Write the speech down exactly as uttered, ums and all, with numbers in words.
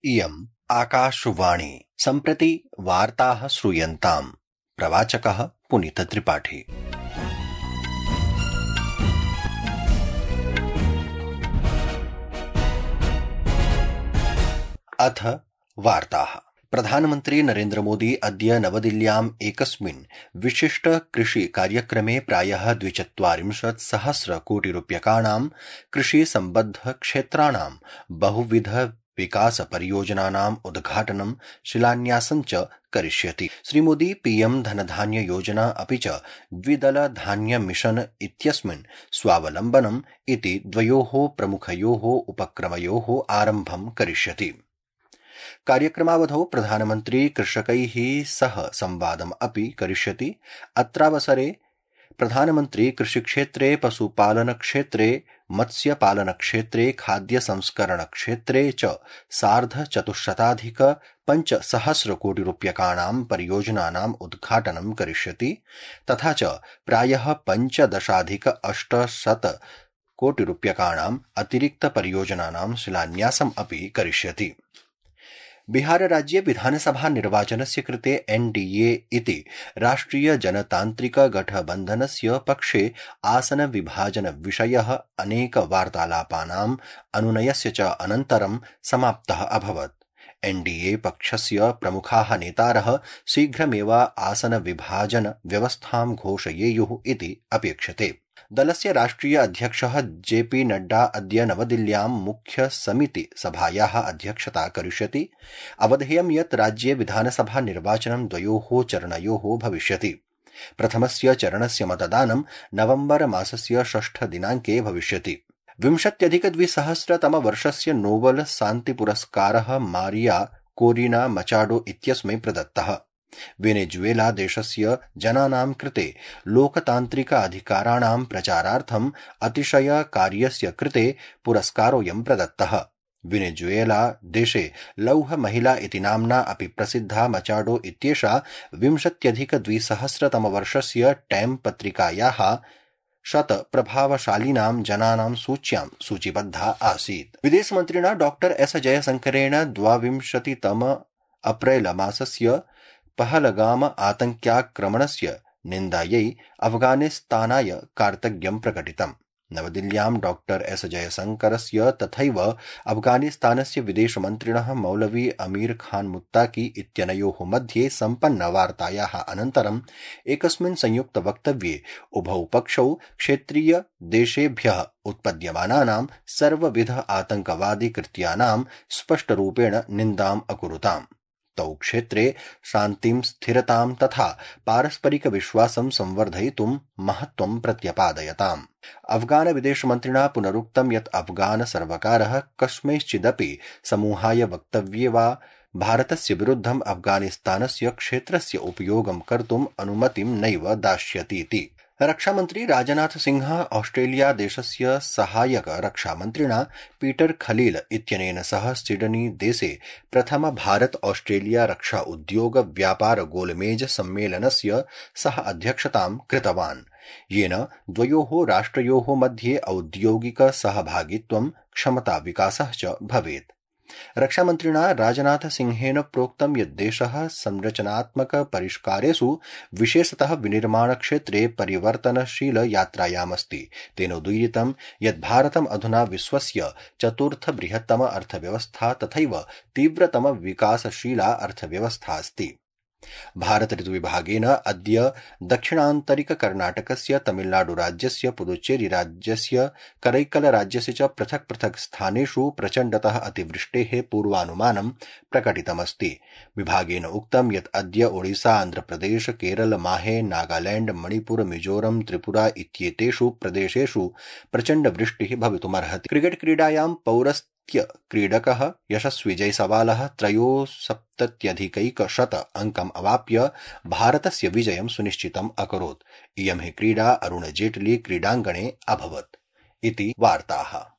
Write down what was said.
इयम् आकाशवाणी। सम्प्रति वार्ताः श्रूयन्ताम्। प्रवाचकः पुनीतत्रिपाठी। अथ वार्ताः। प्रधानमन्त्री नरेन्द्र मोदी अद्य नवदिल्ल्याम् एकस्मिन् विशिष्ट कृषि कार्यक्रमे प्रायः द्विचत्वारिंशत् सहस्र कोटि रूप्यकाणां कृषि सम्बद्ध क्षेत्राणां बहुविध विकास परियोजनानाम् उद्घाटनं शिलान्यासं च करिष्यति। श्रीमोदी पीएम धनधान्य योजना अपि च द्विदल धान्य मिशन इत्यस्मिन् स्वावलम्बनम् इति द्वयोः प्रमुखयोः उपक्रमयोः आरम्भं करिष्यति। कार्यक्रमावधौ प्रधानमन्त्री कृषकैः सह संवादम् अपि करिष्यति। अत्रावसरे प्रधानमन्त्री कृषिक्षेत्रे, पशुपालनक्षेत्रे, मत्स्यपालनक्षेत्रे, खाद्य संस्करण क्षेत्रे च सार्धचतुश्शताधिक पञ्चसहस्र कोटि रूप्यकाणां परियोजनानाम् उद्घाटनं करिष्यति। तथा च प्रायः पञ्चदशाधिक अष्टशत कोटि रूप्यकाणाम् अतिरिक्त परियोजनानां शिलान्यासम् अपि करिष्यति। बिहार राज्ये विधानसभा निर्वाचनस्य कृते एनडीए इति राष्ट्रिय जनतान्त्रिक गठबन्धनस्य पक्षे आसन विभाजन विषयः अनेक वार्तालापानाम् अनुनयस्य च अनन्तरं समाप्तः अभवत्। एनडीए पक्षस्य प्रमुखाः नेतारः शीघ्रमेव आसन विभाजन व्यवस्थां घोषयेयुः इति अपेक्षते। दलस्य राष्ट्रिय अध्यक्षः जेपी नड्डा अद्य नवदिल्ल्यां मुख्य समिति सभायाः अध्यक्षता करिष्यति। अवधेयं यत् राज्ये विधानसभा निर्वाचनं द्वयोः चरणयोः भविष्यति। प्रथमस्य चरणस्य मतदानं नवम्बर मासस्य षष्ठ दिनाङ्के भविष्यति। विंशत्यधिकद्विसहस्रतमवर्षस्य नोबल शान्तिपुरस्कारः मारिया कोरिना मचाडो इत्यस्मै प्रदत्तः। वेनेजुएला देशस्य जनानां कृते लोकतान्त्रिक अधिकाराणां प्रचारार्थम् अतिशय कार्यस्य कृते पुरस्कारोऽयं प्रदत्तः। वेनेजुएला देशे लौह महिला इति नाम्ना अपि प्रसिद्धा मचाडो इत्येषा विंशत्यधिकद्विसहस्रतमवर्षस्य टाइम पत्रिकायाः शत प्रभावशालिनां जनानां सूच्यां सूचीबद्धा आसीत्। विदेशमन्त्रिणा डॉक्टर एस जयशंकरेण द्वाविंशतितम अप्रैल मासस्य पहलगाम आतङ्क्याक्रमणस्य निन्दायै अफगानिस्तानाय कार्तज्ञं प्रकटितम्। नवदिल्ल्यां डॉक्टर एस जयशंकरस्य तथैव अफगानिस्तानस्य विदेशमन्त्रिणः मौलवी अमीर खान मुत्ताकी इत्यनयोः मध्ये सम्पन्न वार्तायाः अनन्तरम् एकस्मिन् संयुक्त वक्तव्ये उभौ पक्षौ क्षेत्रीय देशेभ्यः उत्पद्यमानानां सर्वविध आतङ्कवादी कृत्यानां स्पष्टरूपेण निन्दाम् अकुरुताम्। तौ क्षेत्रे शान्तिं, स्थिरतां तथा पारस्परिक विश्वासं संवर्धयितुं महत्त्वं प्रत्यपादयताम्। अफगान विदेशमन्त्रिणा पुनरुक्तं यत् अफगान सर्वकारः कस्मैश्चिदपि समूहाय वक्तव्ये वा भारतस्य विरुद्धम् अफगानिस्तानस्य क्षेत्रस्य उपयोगं कर्तुम् अनुमतिं नैव दास्यतीति। रक्षामन्त्री राजनाथ सिंह ऑस्ट्रेलिया देशस्य सहायक रक्षामन्त्रिणा पीटर खलील इत्यनेन सह सिडनी देशे प्रथम भारत ऑस्ट्रेलिया रक्षा उद्योग व्यापार गोलमेज सम्मेलनस्य सह अध्यक्षतां कृतवान्, येन द्वयोः राष्ट्रयोः मध्ये औद्योगिक सहभागित्वं, क्षमता विकासः च भवेत्। रक्षामन्त्रिणा राजनाथ सिंहेन प्रोक्तं यत् देशः संरचनात्मक परिष्कारेषु विशेषतः विनिर्माण क्षेत्रे परिवर्तनशील यात्रायामस्ति। तेन उदीरितं यत् भारतम् अधुना विश्वस्य चतुर्थ बृहत्तम अर्थव्यवस्था तथैव तीव्रतम विकासशीला अर्थव्यवस्था अस्ति। भारत ऋतुविभागेन अद्य दक्षिणान्तरिक कर्णाटकस्य, तमिलनाडु राज्यस्य, पुदुच्चेरी राज्यस्य, करैकल राज्यस्य च पृथक् पृथक् स्थानेषु प्रचण्डतः अतिवृष्टेः पूर्वानुमानं प्रकटितमस्ति। विभागेन उक्तं यत् अद्य ओडिशा, आन्ध्रप्रदेश, केरल, माहे, नागालैंड, मणिपुर, मिजोरम, त्रिपुरा इत्येतेषु प्रदेशेषु प्रचण्डवृष्टिः भवितुमर्हति। क्रिकेट क्रीडायां पौरस्त्य क्रीडकः यशस्वी जयसवालः त्रयोसप्तत्यधिकैकशत अंकम् अवाप्य भारतस्य विजयं सुनिश्चितम् अकरोत्। इयं हि क्रीडा अरुण जेटली क्रीडाङ्गणे अभवत् इति वार्ताः।